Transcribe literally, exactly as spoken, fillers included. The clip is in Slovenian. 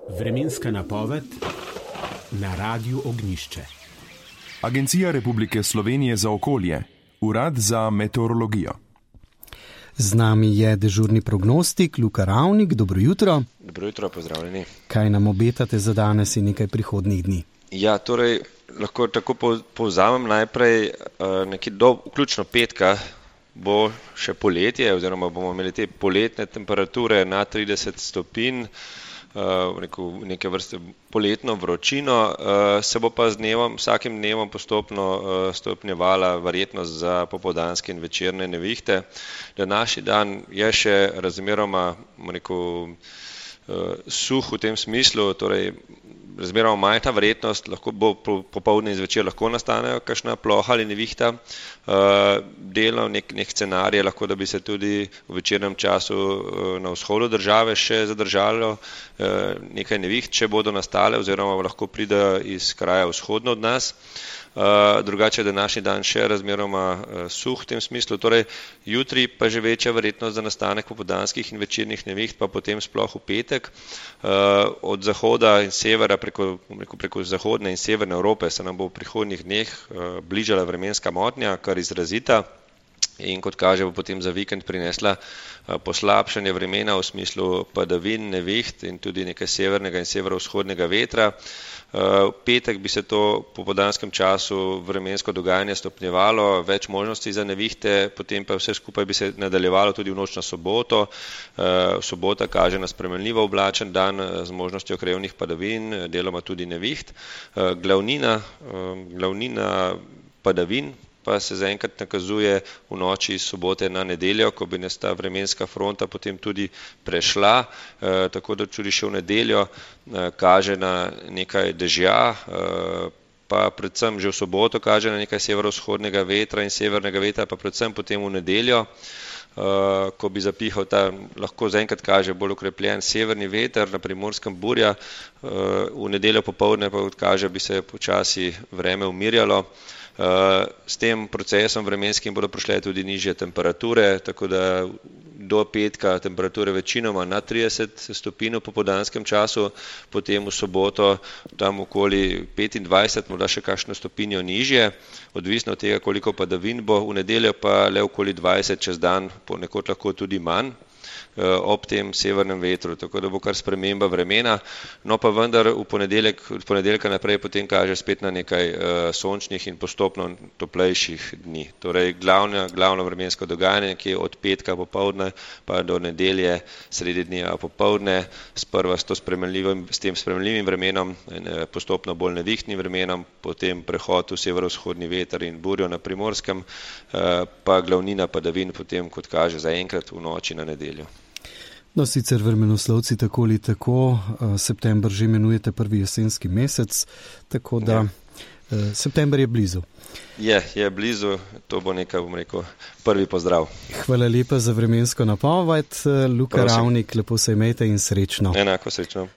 Vremenska napoved na Radiu Ognjišče. Agencija Republike Slovenije za okolje, Urad za meteorologijo. Z nami je dežurni prognostik Luka Ravnik. Dobro jutro. Dobro jutro, pozdravljeni. Kaj nam obetate za danes in nekaj prihodnjih dni? Ja, torej lahko tako povzamem najprej nekaj do vključno petka bo še poletje oziroma bomo imeli te poletne temperature na trideset stopinj, Uh, neke vrste poletno vročino, uh, se bo pa z dnevom, vsakim dnevom postopno uh, stopnjevala verjetnost za popoldanske in večerne nevihte. Današnji dan je še razmeroma rekel, uh, suh v tem smislu, torej razmeroma majhna verjetnost, lahko bo popoldne in zvečer lahko nastanejo kakšna ploha ali nevihta. Uh, delno nek, nek scenarij je lahko, da bi se tudi v večernem času uh, na vzhodu države še zadržalo uh, nekaj neviht, če bodo nastale oziroma lahko pride iz kraja vzhodno od nas. Uh, drugače je današnji dan še razmeroma uh, suh v tem smislu, torej jutri pa že večja verjetnost za nastanek popoldanskih in večernih neviht, pa potem sploh v petek. Uh, od zahoda in severa preko, preko, preko zahodne in severne Evrope se nam bo v prihodnjih dneh uh, bližala vremenska motnja, kar izrazita. In kot kaže, bo potem za vikend prinesla poslabšanje vremena v smislu padavin, neviht in tudi nekaj severnega in severovzhodnega vetra. V petek bi se to po popoldanskem času vremensko dogajanje stopnjevalo, več možnosti za nevihte, potem pa vse skupaj bi se nadaljevalo tudi v noč na soboto. Sobota kaže na spremenljivo oblačen dan z možnostjo krajevnih padavin, deloma tudi neviht. Glavnina, glavnina padavin pa se zaenkrat nakazuje v noči iz sobote na nedeljo, ko bi nas ta vremenska fronta potem tudi prešla, e, tako da tudi še v nedeljo e, kaže na nekaj dežja, e, pa predvsem že v soboto kaže na nekaj severovzhodnega vetra in severnega vetra, pa predvsem potem v nedeljo, e, ko bi zapihal ta, lahko zaenkrat kaže bolj okrepljen severni veter, na Primorskem burja, e, v nedeljo popoldne pa kaže, bi se počasi vreme umirjalo. S tem procesom vremenskim bodo prišle tudi nižje temperature, tako da do petka temperature večinoma na trideset stopinj v popoldanskem času, potem v soboto tam okoli petindvajset, morda še kakšno stopinjo nižje, odvisno od tega, koliko padavin bo, v nedeljo pa le okoli dvajset, čez dan ponekod lahko tudi manj ob tem severnem vetru, tako da bo kar sprememba vremena, no pa vendar v ponedeljek, od ponedeljka naprej potem kaže spet na nekaj uh, sončnih in postopno toplejših dni. Torej glavno, glavno vremensko dogajanje, ki je od petka popoldne pa do nedelje sredi dneva popoldne, sprva s, to s tem spremenljivim vremenom, postopno bolj nevihtnim vremenom, potem prehod v severovzhodni veter in burjo na Primorskem, uh, pa glavnina padavin potem, kot kaže, zaenkrat v noči na nedeljo. No, sicer vremenoslovci tako ali tako, september že imenujete prvi jesenski mesec, tako da ja. September je blizu. Je, je blizu, to bo nekaj, bom rekel, prvi pozdrav. Hvala lepa za vremensko napoved, Luka Prosim. Ravnik, lepo se imejte in srečno. Enako srečno.